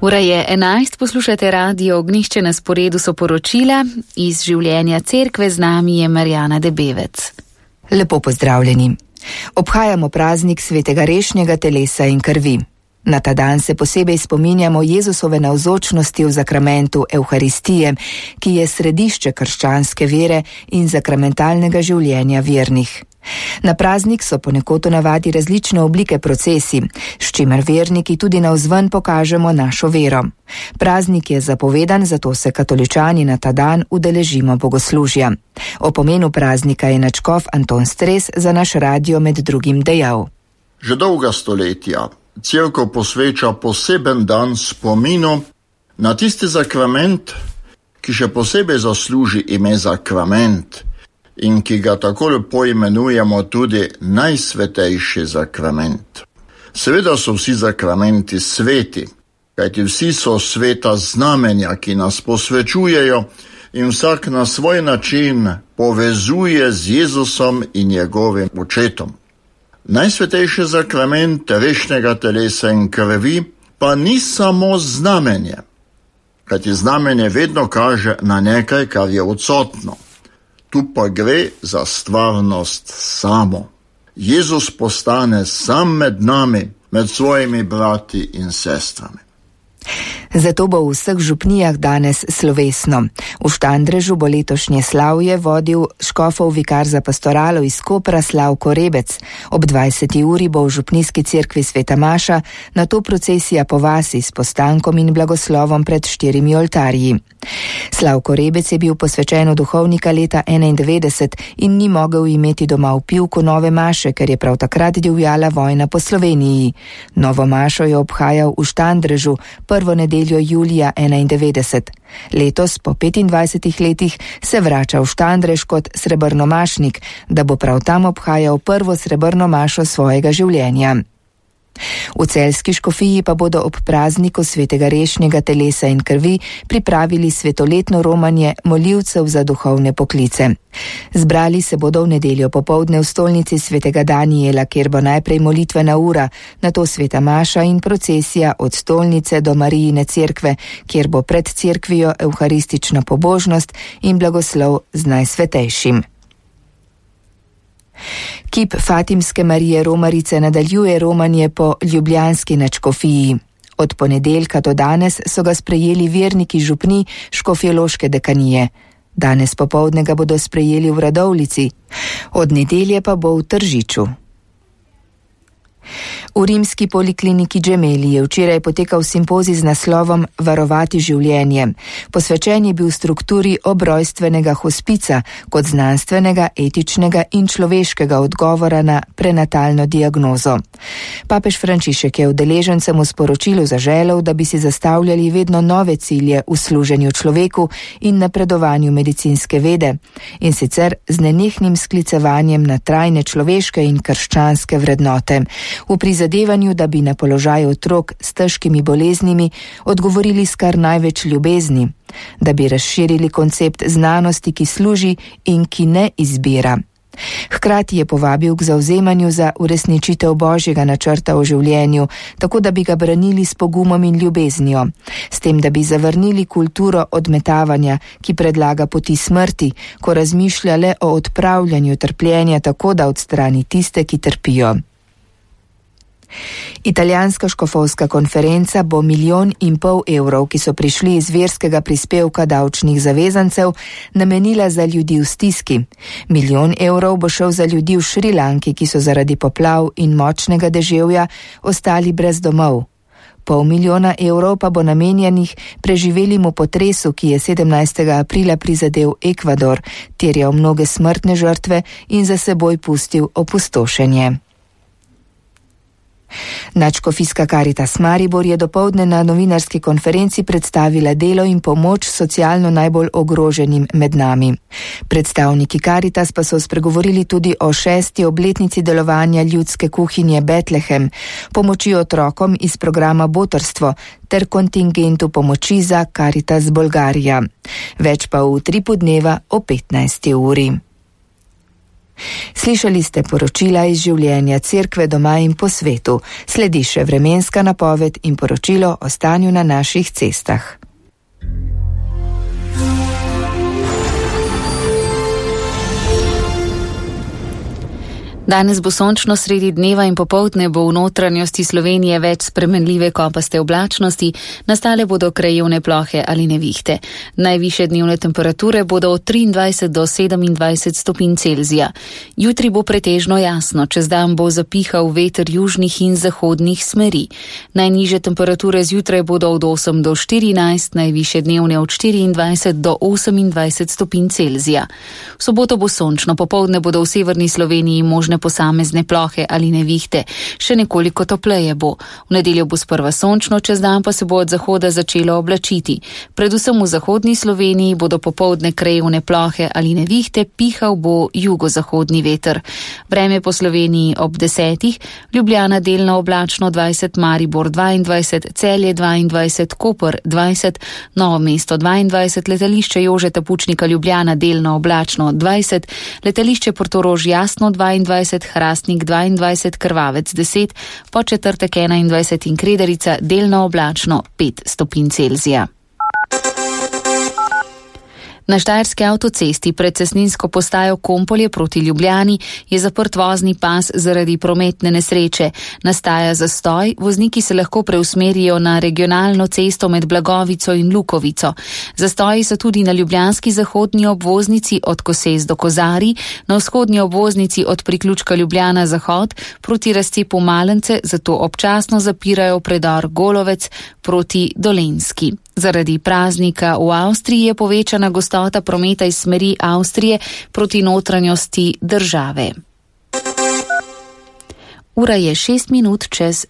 Ura je 11, poslušate Radio Ognjišče, na sporedu so poročila iz življenja cerkve, z nami je Marjana Debevec. Lepo pozdravljeni. Obhajamo praznik svetega rešnjega telesa in krvi. Na ta dan se posebej spominjamo Jezusove navzočnosti v zakramentu Evharistije, ki je središče krščanske vere in zakramentalnega življenja vernih. Na praznik so ponekod v navadi različne oblike procesij, s čimer verniki tudi navzven pokažemo našo vero. Praznik je zapovedan, zato se katoličani na ta dan udeležimo bogoslužja. O pomenu praznika je nadškof Anton Stres za naš radio med drugim dejal. Že dolga stoletja cerkev posveča poseben dan spominu na tisti zakrament, ki še posebej zasluži ime zakrament in ki ga tako lepo imenujemo tudi najsvetejši zakrament. Seveda so vsi zakramenti sveti, kajti vsi so sveta znamenja, ki nas posvečujejo in vsak na svoj način povezuje z Jezusom in njegovim očetom. Najsvetejši zakrament rešnjega telesa in krvi pa ni samo znamenje, kajti znamenje vedno kaže na nekaj, kar je odsotno. Tu pa gre za stvarnost samo. Jezus postane sam med nami, med svojimi brati in sestrami. Zato bo v vseh župnijah danes slovesno. V Štandrežu bo letošnje slavje vodil škofov vikar za pastoralo iz Kopra Slavko Rebec. Ob 20. uri bo v župnijski cerkvi Sveta Maša, nato procesija po vasi s postankom in blagoslovom pred 4 oltarji. Slavko Rebec je bil posvečen v duhovnika leta 91 in ni mogel imeti doma v Pivku nove maše, ker je prav takrat divjala vojna po Sloveniji. Novo mašo je obhajal v Štandrežu prvo nedeljo julija 91. Letos, po 25 letih, se vrača v Štandrež kot srebrnomašnik, da bo prav tam obhajal prvo srebrno mašo svojega življenja. V celjski škofiji pa bodo ob prazniku svetega rešnjega telesa in krvi pripravili svetoletno romanje molivcev za duhovne poklice. Zbrali se bodo v nedeljo popoldne v stolnici svetega Danijela, kjer bo najprej molitvena ura, nato sveta maša in procesija od stolnice do Marijine cerkve, kjer bo pred cerkvijo evharistična pobožnost in blagoslov z najsvetejšim. Kip Fatimske Marije Romarice nadaljuje romanje po ljubljanski nadškofiji. Od ponedeljka do danes so ga sprejeli verniki župni škofjeloške dekanije. Danes popoldne ga bodo sprejeli v Radovljici, od nedelje pa bo v Tržiču. V rimski polikliniki Gemelli je včeraj potekal simpozij z naslovom Varovati življenje. Posvečen je bil strukturi obrojstvenega hospica kot znanstvenega, etičnega in človeškega odgovora na prenatalno diagnozo. Papež Frančišek je udeležencem v sporočilu zaželel, da bi si zastavljali vedno nove cilje v služenju človeku in napredovanju medicinske vede, in sicer z nenehnim sklicevanjem na trajne človeške in krščanske vrednote, v prizadevanju, da bi na položaj otrok s težkimi boleznimi odgovorili s kar največ ljubezni, da bi razširili koncept znanosti, ki služi in ki ne izbira. Hkrati je povabil k zavzemanju za uresničitev Božjega načrta o življenju, tako da bi ga branili s pogumom in ljubeznijo, s tem, da bi zavrnili kulturo odmetavanja, ki predlaga poti smrti, ko razmišlja le o odpravljanju trpljenja tako, da odstrani tiste, ki trpijo. Italijanska škofovska konferenca bo 1,5 milijona evrov, ki so prišli iz verskega prispevka davčnih zavezancev, namenila za ljudi v stiski. 1 milijon evrov bo šel za ljudi v Šrilanki, ki so zaradi poplav in močnega deževja ostali brez domov. 0,5 milijona evrov pa bo namenjenih preživelemu potresu, ki je 17. aprila prizadel Ekvador, terjal mnoge smrtne žrtve in za seboj pustil opustošenje. Nadškofijska Karitas Maribor je dopoldne na novinarski konferenci predstavila delo in pomoč socialno najbolj ogroženim med nami. Predstavniki Karitas pa so spregovorili tudi o 6. obletnici delovanja ljudske kuhinje Betlehem, pomoči otrokom iz programa Botrstvo ter kontingentu pomoči za Karitas Bolgarija. Več pa v utripu dneva o 15. uri. Slišali ste poročila iz življenja Cerkve doma in po svetu. Sledi še vremenska napoved in poročilo o stanju na naših cestah. Danes bo sončno sredi dneva in popoldne bo v notranjosti Slovenije več spremenljive kopaste oblačnosti, nastale bodo krajevne plohe ali nevihte. Najvišje dnevne temperature bodo od 23 do 27 stopinj Celzija. Jutri bo pretežno jasno, čez dan bo zapihal veter južnih in zahodnih smeri. Najnižje temperature zjutraj bodo od 8 do 14, najvišje dnevne od 24 do 28 stopinj Celzija. V soboto bo sončno, popoldne bodo v severni Sloveniji možne posamezne plohe ali nevihte, še nekoliko topleje bo. V nedeljo bo sprva sončno, čez dan pa se bo od zahoda začelo oblačiti. Predvsem v zahodni Sloveniji bodo popoldne krajevne plohe ali nevihte, pihal bo jugozahodni veter. Vreme po Sloveniji ob 10, Ljubljana delno oblačno 20, Maribor 22, Celje 22, Koper 20, Novo mesto 22, letališče Jožeta Pučnika Ljubljana delno oblačno 20, letališče Portorož jasno 22, Hrastnik 22, Krvavec 10, po četrtek 21 in Kredarica delno oblačno 5 stopinj Celzija. Na štajerski avtocesti pred cestninsko postajo Kompolje proti Ljubljani je zaprt vozni pas zaradi prometne nesreče. Nastaja zastoj, vozniki se lahko preusmerijo na regionalno cesto med Blagovico in Lukovico. Zastoji so tudi na ljubljanski zahodni obvoznici od Koses do Kozarij, na vzhodni obvoznici od priključka Ljubljana Zahod proti razcepu Malence, zato občasno zapirajo predor Golovec proti Dolenjski. Zaradi praznika v Avstriji je povečana gostota prometa iz smeri Avstrije proti notranjosti države. Ura je 6 minut čez